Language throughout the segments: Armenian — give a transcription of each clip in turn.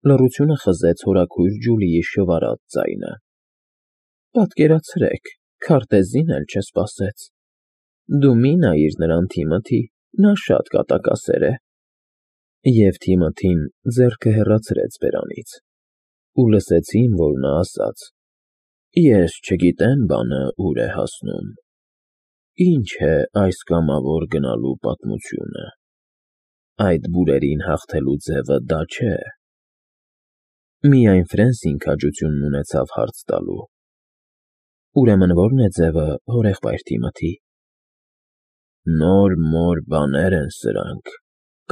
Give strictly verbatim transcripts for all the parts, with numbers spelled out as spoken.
Լռությունը խզեց հորաքույր Ջուլիի շվարած ձայնը։ Պատկերացրեք, քարտեզին էլ չսպասեց։ Դու մի նայիր նրան, Թիմոթի, նա շատ կատակասեր է։ Եվ Թիմոթին ձեռքը հեռացրեց բերանից, ու լսեցին, որ նա ասաց. Ես չգիտեմ բանը ուր է հասնում։ Ինչ է այս կամավոր գնալու պատմությունը։ Այդ բուրերին հաղթելու ձևը դա չէ։ Միայն Ֆրենսին քաջությունն ունեցավ հարց տալու. Ուրեմն ո՞րն է ձևը, հորեղբայր Թիմոթի։ Նոր-մոր բաներ են սրանք,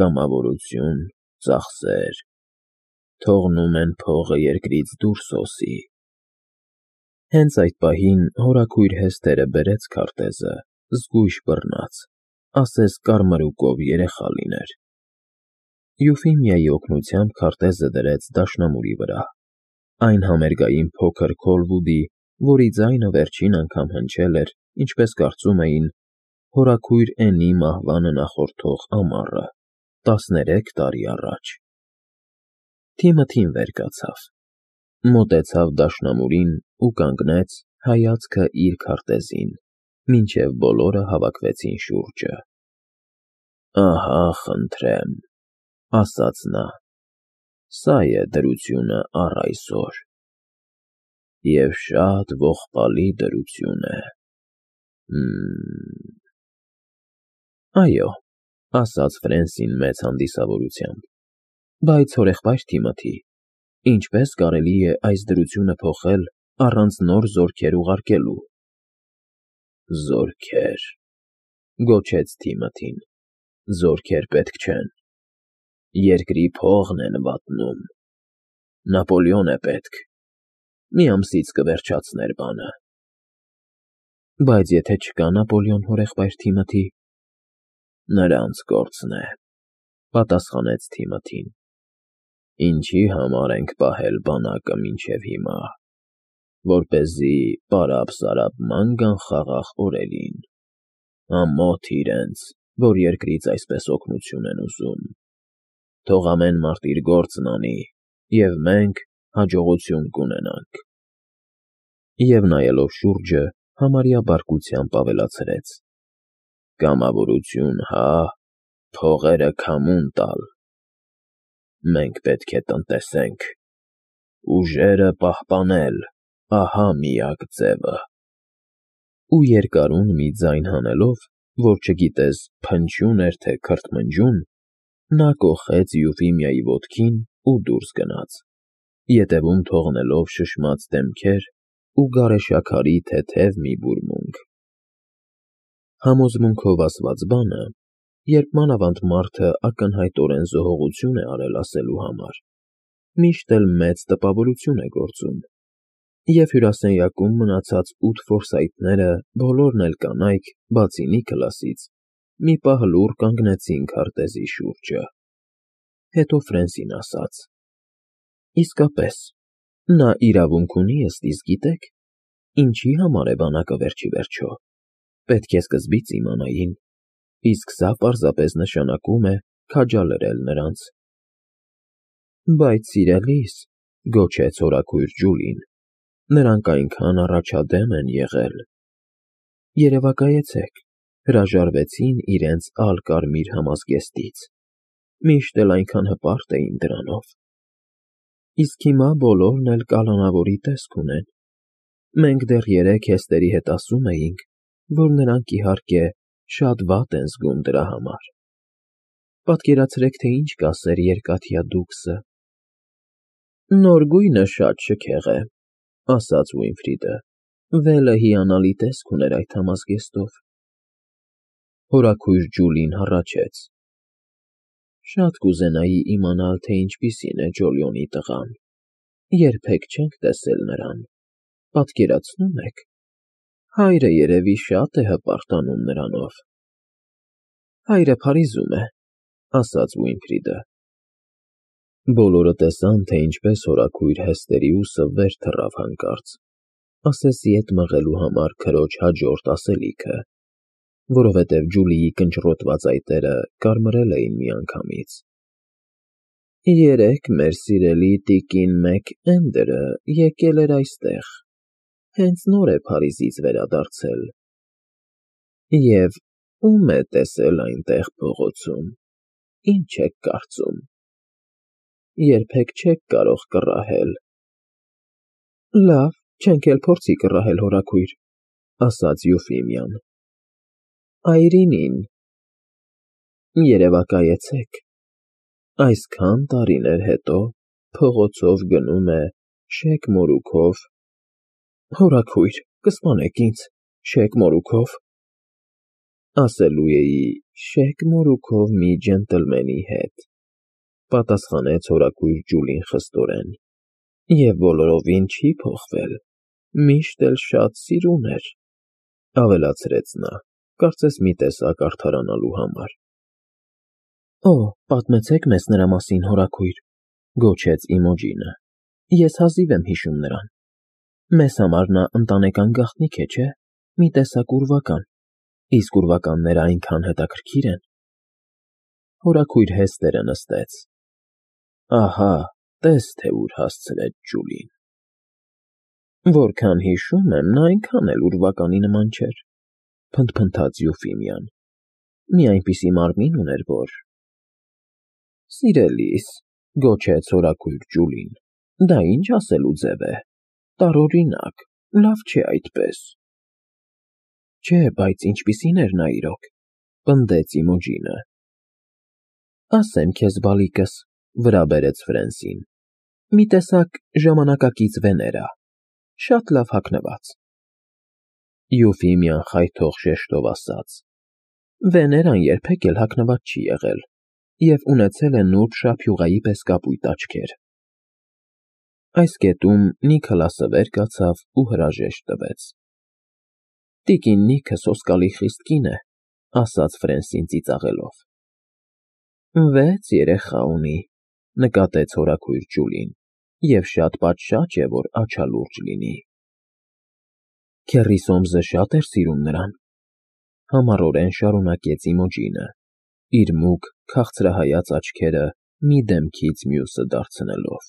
կամավորություն, ծախսեր, թողնում են փողը երկրից դուրս հոսի։ Հենց այդ պահին հորաքույր Հեսթերը բերեց քարտեզը, զգույշ բռնած, ասես կարմրուկով երեխա լիներ։ Յուֆիմիայի օգնությամբ քարտեզը դրեց դաշնամուրի վրա, այն համերգային փոքր Քոլվուդի, որի ձայնը վերջին անգամ հնչել էր, ինչպես կարծում էին, հորաքույր Էնի մահվանը նախորդող ամառը, տասներեք տարի առաջ։ Թիմոթին վեր կացավ, մոտեցավ դաշնամուրին ու կանգնեց, հայացքը իր քարտեզին, մինչև բոլորը հավաքվեցին շուրջը։ Ահա, խնդրեմ, ասաց նա, սա է դրությունը առ այսօր։ Եվ շատ ողբալի դրություն է։ Մմ… Այո, ասաց Ֆրենսին մեծ հանդիսավորությամբ, բայց հորեղբայր Թիմոթի, ինչպես կարելի է այս դրությունը փոխել առանց նոր զորքեր ուղարկելու։ Զորքեր… Գոչեց Թիմոթին, զորքեր պետք չեն։ Երկրի փողն են վատնում։ Նապոլեոն է պետք, մի ամսից կվերջացներ բանը։ Բայց եթե չկա Նապոլեոն, հորեղբայր Թիմոթի… Նրանց գործն է, պատասխանեց Թիմոթին։ Ինչի համար ենք պահել բանակը մինչև հիմա, որպեսզի պարապ-սարապ ման գան խաղաղ օրերին, ամոթ իրենց, որ երկրից այսպես օգնություն են ուզում։ Թող ամեն մարդ իր գործն անի, և մենք հաջողություն կունենանք։ Եվ նայելով շուրջը, համարյա բարկությամբ ավելացրեց. Կամավորություն, հա, փողերը քամուն տալ։ Մենք պետք է տնտեսենք, ուժերը պահպանել, ահա միակ ձևը։ Ու երկարուն մի ձայն հանելով, որ չգիտես փնչյուն էր, թե քրթմնջյուն, նա կոխեց Յուֆիմիայի ոտքին ու դուրս գնաց, ետևում թողնելով շշմած դեմքեր ու գարեշաքարի թեթև մի բուրմունք։ Համոզմունքով ասված բանը, երբ մանավանդ մարդը ակնհայտորեն զոհողություն է արել ասելու համար, միշտ էլ մեծ տպավորություն է գործում, և հյուրասենյակում մնացած ութ ֆորսայթները բոլորն էլ կանայք, բացի Նիքլասից, մի պահ լուռ կանգնեցին քարտեզի շուրջը։ Հետո Ֆրենսին ասաց. Իսկապես, նա իրավունք ունի ըստ իս գիտեք, ինչի համար է բանակը վերջիվերջո, պետք է սկզբից իմանային, իսկ սա պարզապես նշանակում է քաջալերել նրանց։ Բայց սիրելիս, գոչեց հորաքույր Ջուլին, նրանք այնքան առաջադեմ են եղել։ Երևակայեցեք, հրաժարվեցին իրենց ալ֊կարմիր համազգեստից, միշտ էլ այնքան հպարտ էին դրանով։ Իսկ հիմա բոլորն էլ կալանավորի տեսք ունեն։ Մենք դեռ երեկ Հեստերի հետ ասում էինք, որ նրանք իհարկե շատ վատ են զգում դրա համար։ Պատկերացրեք, թե ինչ կասեր երկաթյա դուքսը։ Նոր գույնը շատ շքեղ է, ասաց Ուինֆրիդը, վելը հիանալի տեսք ուներ այդ համազգեստով։ Հորաքույր Ջուլին հառաչեց. Շատ կուզենայի իմանալ, թե ինչպիսին է Ջոլիոնի տղան, երբեք չենք տեսել նրան, պատկերացնո՞ւմ եք, հայրը երևի շատ է հպարտանում նրանով։ Հայրը Փարիզում է, ասաց Ուինֆրիդը։ Բոլորը տեսան, թե ինչպես հորաքույր Հեստերիուսը վեր թռավ հանկարծ, ասես ետ մղելու համար քրոջ հաջորդ ասելիքը, որովհետև Ջուլիի կնճռոտված այտերը կարմրել էին միանգամից։ Երեկ մեր սիրելի տիկին Մեք֊Էնդերը եկել էր այստեղ, հենց նոր է Փարիզից վերադարձել, և ո՞ւմ է տեսել այնտեղ փողոցում, ինչ եք կարծում, երբեք չեք կարող կռահել։ ֊ Լավ, չենք էլ փորձի կռահել, հորաքույր, ֊ ասաց Յուֆիմիան։ ֊ Այրինին։ Երևակայեցեք, այսքան տարիներ հետո փողոցով գնում է շեկ մորուքով… Հորաքույր, կսպանեք ինձ, շեկ մորուքով… Ասելու էի շեկ մորուքով մի ջենտլմենի հետ, ֊ պատասխանեց հորաքույր Ջուլին խստորեն, ֊ և բոլորովին չի փոխվել, միշտ էլ շատ սիրուն էր, ֊ ավելացրեց նա, կարծես մի տեսակ արդարանալու համար։ ֊ Օ, պատմեցեք մեզ նրա մասին, հորաքույր, ֊ գոչեց Իմոջինը, ֊ ես հազիվ եմ հիշում նրան, մեզ համար նա ընտանեկան գաղտնիք է, չէ՞, մի տեսակ ուրվական, իսկ ուրվականները այնքան հետաքրքիր են… Հորաքույր հեստերը նստեց։ Ահա, տես թե ուր հասցրեց Ջուլին… Որքան հիշում եմ, նա այնքան էլ ուրվականի նման չէր, ֊ փնթփնթաց Յուֆիմիան, ֊ մի այնպիսի մարմին ուներ, որ… Սիրելիս, ֊ գոչեց հորաքույր Ջուլին, ֊ դա ինչ ասելու ձև է, տարօրինակ, լավ չէ այդպես… Չէ, բայց ինչպիսի՞ն էր նա իրոք, ֊ պնդեց Իմոջինը։ ֊ Ասեմ քեզ, բալիկս, ֊ վրա բերեց Ֆրենսին, ֊ մի տեսակ ժամանակակից Վեներա, շատ լավ հագնված… Յուֆիմիան խայթող շեշտով ասաց. Վեներան երբեք էլ հագնված չի եղել և ունեցել է նուրբ շաբյուղայի պես կապույտ աչքեր… Այս կետում Նիքլասը վեր կացավ ու հրաժեշտ տվեց։ ֊ Տիկին Նիքը սոսկալի խիստ կին է, ֊ ասաց Ֆրենսին ծիծաղելով։ ֊ Վեց երեխա ունի, ֊ նկատեց հորաքույր Ջուլին, ֊ և շատ պատշաճ է, որ աչալուրջ լինի։ ֊ Քեռի Սոմսը շատ էր սիրում նրան, ֊ համառորեն շարունակեց Իմոջինը, իր մուգ, քաղցրահայաց աչքերը մի դեմքից մյուսը դարձնելով։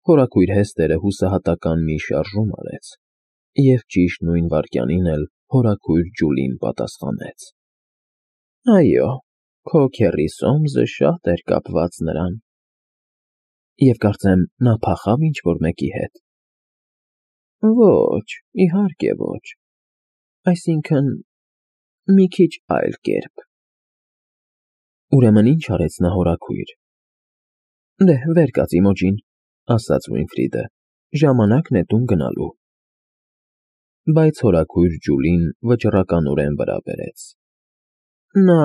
Հորաքույր հեստերը հուսահատական մի շարժում արեց, և ճիշտ նույն վայրկյանին էլ հորաքույր Ջուլին պատասխանեց. ֊ Այո, քո քեռի Սոմսը շատ էր կապված նրան… ֊ Եվ կարծեմ, նա փախավ ինչ֊որ մեկի հետ… ֊ Ոչ, իհարկե ոչ… Այսինքն… մի քիչ այլ կերպ… ֊ Ուրեմն ի՞նչ արեց նա, հորաքույր… ֊ Դե, վեր կաց, Իմոջին, ֊ ասաց Վինֆրիդը, ֊ ժամանակն է տուն գնալու… Բայց հորաքույր Ջուլին վճռականորեն վրա բերեց. ֊ Նա…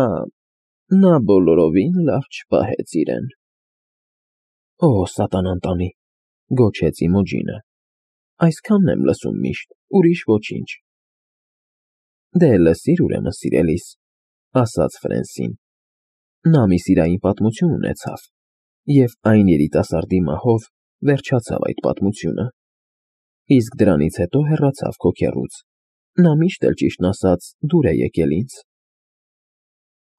նա բոլորովին լավ չպահեց իրեն… ֊ Օ, սատանան տանի, ֊ գոչեց Իմոջինը, ֊ այսքանն եմ լսում միշտ, ուրիշ ոչինչ… ֊ Դե, լսիր, ուրեմն, սիրելիս, ֊ ասաց Ֆրենսին, ֊ նա մի սիրային պատմություն ունեցավ, և այն երիտասարդի մահով վերջացավ այդ պատմությունը, իսկ դրանից հետո հեռացավ քո քեռուց, նա միշտ էլ, ճիշտն ասած, դուր է եկել ինձ…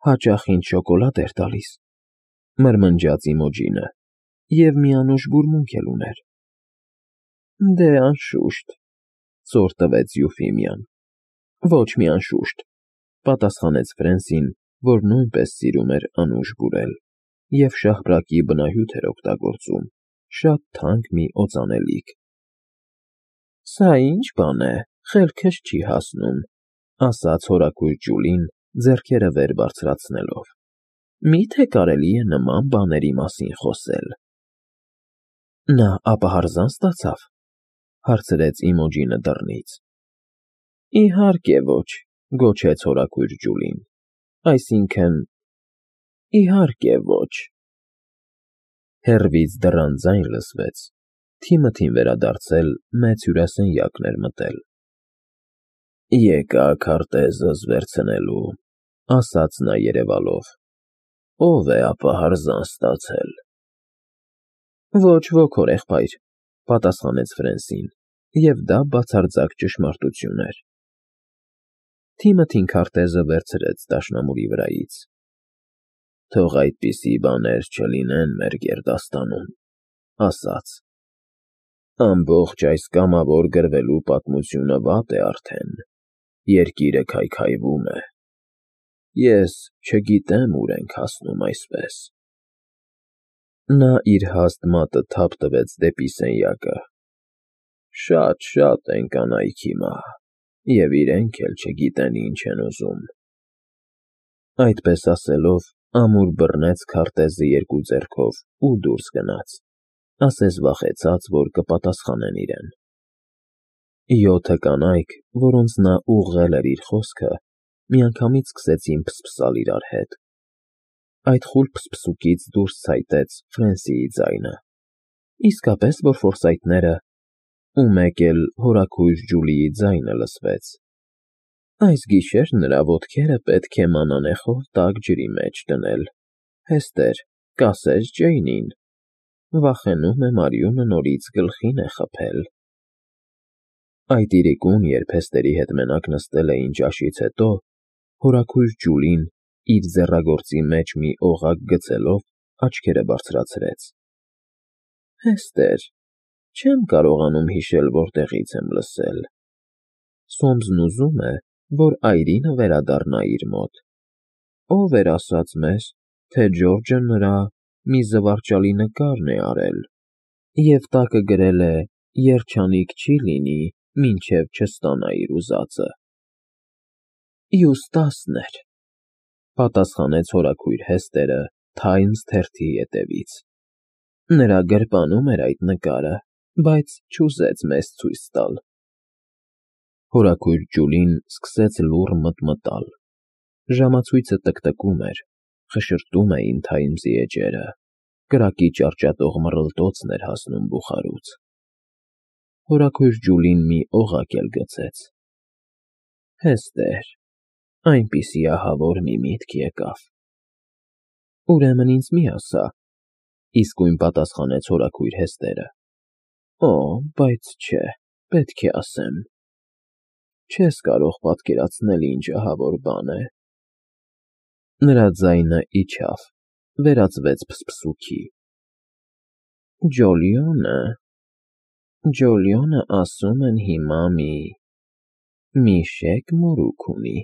Հաճախ ինձ շոկոլադ էր տալիս, ֊ մրմնջաց Իմոջինը, ֊ և մի անուշ բուրմունք էլ ուներ… ֊ Դե, անշուշտ, ֊ ծոր տվեց Յուֆիմիան։ ֊ Ոչ մի անշուշտ, ֊ պատասխանեց Ֆրենսին, որ նույնպես սիրում էր անուշ բուրել և շաղկապի բնահյութ էր օգտագործում, շատ թանկ մի օծանելիք։ ֊ Սա ի՞նչ բան է, խելքս չի հասնում, ֊ ասաց հորաքույր Ջուլին, ձեռքերը վեր բարձրացնելով, ֊ մի՞թե կարելի է նման բաների մասին խոսել… ֊ Նա ապահարզան ստացավ, ֊ հարցրեց Իմոջինը դռնից։ ֊ Իհարկե ոչ, ֊ գոչեց հորաքույր Ջուլին, ֊ այսինքն… իհարկե ոչ… Հեռվից դռան ձայն լսվեց, թիմը թիմ վերադարձել մեծ հյուրասենյակն էր մտել։ ֊ Եկա՜ք քարտեզս վերցնելու, ֊ ասաց նա երևալով, ֊ ո՞վ է ապահարզան ստացել… ֊ Ոչ ոք, հորեղբայր, ֊ պատասխանեց Ֆրենսին, և դա բացարձակ ճշմարտություն էր։ Թիմը թին քարտեզը վերցրեց դաշնամուրի վրայից։ Թող այդպիսի բաներ չլինեն մեր գերդաստանում, ասաց. ամբողջ այս կամավոր գրվելու պատմությունը վատ է արդեն, երկիրը քայքայվում է, ես չգիտեմ ուր ենք հասնում այսպես… Նա իր հաստ մատը թափ տվեց դեպի սենյակը. շատ֊շատ են կանայք հիմա, և իրենք էլ չգիտեն ինչ են ուզում… Այդպես ասելով, ամուր բռնեց քարտեզը երկու ձեռքով ու դուրս գնաց, ասես վախեցած, որ կպատասխանեն իրեն… Յոթը կանայք, որոնց նա ուղղել էր իր խոսքը, միանգամից սկսեցին փսփսալ իրար հետ… Այդ խուլ փսփսուկից դուրս ցայտեց Ֆրենսիի ձայնը, իսկապես որ ֆորսայթները… Ու մեկ էլ հորաքույր Ջուլիի ձայնը լսվեց. այս գիշեր նրա ոտքերը պետք է մանանեխով տաք ջրի մեջ դնել, Հեստեր, կասես Ջեյնին… վախենում եմ արյունը նորից գլխին է խփել… Այդ իրիկուն, երբ Հեստերի հետ մենակ նստել էին ճաշից հետո, հորաքույր Ջուլին, իր ձեռագործի մեջ մի օղակ գցելով, աչքերը բարձրացրեց. Հեստեր, չեմ կարողանում հիշել որտեղից եմ լսել… Սոմսն ուզում է, որ այրինը վերադառնա իր մոտ… Ո՞վ էր ասաց մեզ, թե Ջորջը նրա մի զվարճալի նկարն է արել և տակը գրել է. երջանիկ չի լինի, մինչև չստանա իր ուզածը… Յուստասն էր, պատասխանեց հորաքույր Հեստերը Թայմս թերթի ետևից… Նրա գրպանում էր այդ նկարը, բայց չուզեց մեզ ցույց տալ… Հորաքույր Ջուլին սկսեց լուռ մտմտալ… Ժամացույցը տկտկում էր, խշշում էին Թայմսի էջերը, կրակի ճարճատող մռլտոցն էր հասնում բուխարուց… Հորաքույր Ջուլին մի օղակ էլ գցեց… Հեստեր, այնպիսի ահավոր մի միտք եկավ… Ուրեմն ինձ մի ասա, իսկույն պատասխանեց հորաքույր Հեստերը… Օ, բայց չէ, պետք է ասեմ… Չես կարող պատկերացնել ինչ ահավոր բան է… Նրա ձայնը իջավ, վերածվեց փսփսուքի… Ջոլիոնը… Ջոլիոնը ասում են հիմա մի… մի շեկ մորուք ունի…